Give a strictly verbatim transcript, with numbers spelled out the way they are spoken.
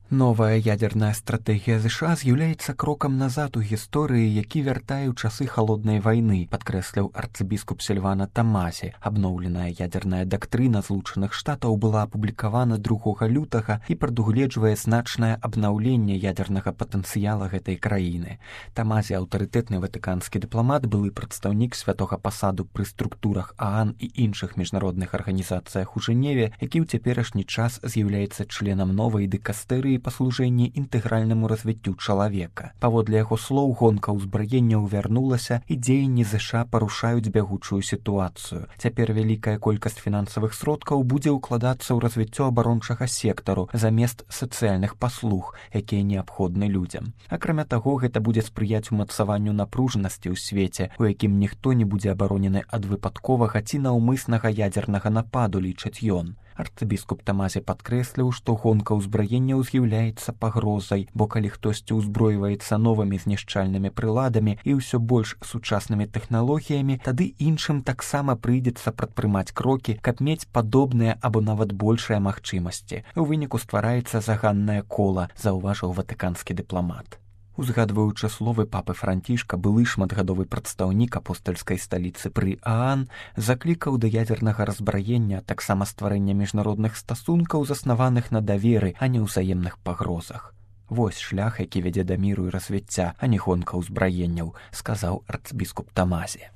Новая ядерная стратегія США з'яўляецца крокам назад у гісторыі, які вяртае ў часы халоднай вайны, падкрэсліў арцыбіскуп Сільвана Тамазі. Абноўленая ядерная дактрына Злучаных Штатаў была апублікавана другога лютага і прадугледжвае значнае абнаўленне ядернага патэнцыяла гэтай краіны. Тамазі, аўтарытэтны ватыканскі дыпламат, былы прадстаўнік святога пасаду пры структурах ААН і іншых міжнародных арганізацыях у Жэневе, які ў цяперашні час з'яўляецца членам новай дыкастэрыі па служэнні інтэгральнаму развіццю чалавека. Паводле яго слоў, гонка ўзбраенняў вярнулася і дзеянні ЗША парушаюць бягучую сітуацыю. Цяпер вялікая колькасць фінансавых сродкаў будзе ўкладацца ў развіццё абарончага сектару замест сацыяльных паслуг, якія неабходны людзям. Акрамя таго, гэта будзе спрыяць умацаванню напружанасці ў свеце, у якім ніхто не будзе абаронены ад выпадковага ці наўмыснага ядзернага нападу, лічыць ён. Арцыбіскуп Тамазі падкрэсліў, што гонка ўзбраенняў з'яўляецца пагрозай, бо калі хтосьці ўзброіваецца новымі знішчальнымі прыладамі і ўсё больш сучаснымі тэхналогіямі, тады іншым таксама прыйдзецца прадпрымаць крокі, каб мець падобныя або нават большыя магчымасці. У выніку ствараецца заганнае кола, заўважыў ватыканскі дыпламат. Узгадваючы словы папы Францішка, былы шматгадовы прадстаўнік апостальскай сталіцы пры ААН заклікаў да ядзернага разбраення, таксама стварэння міжнародных стасункаў, заснаваных на даверы, а не ўзаемных пагрозах. Вось шлях, які вядзе да міру і развіцця, а не гонка ўзбраенняў, сказаў арцбіскуп Тамазі.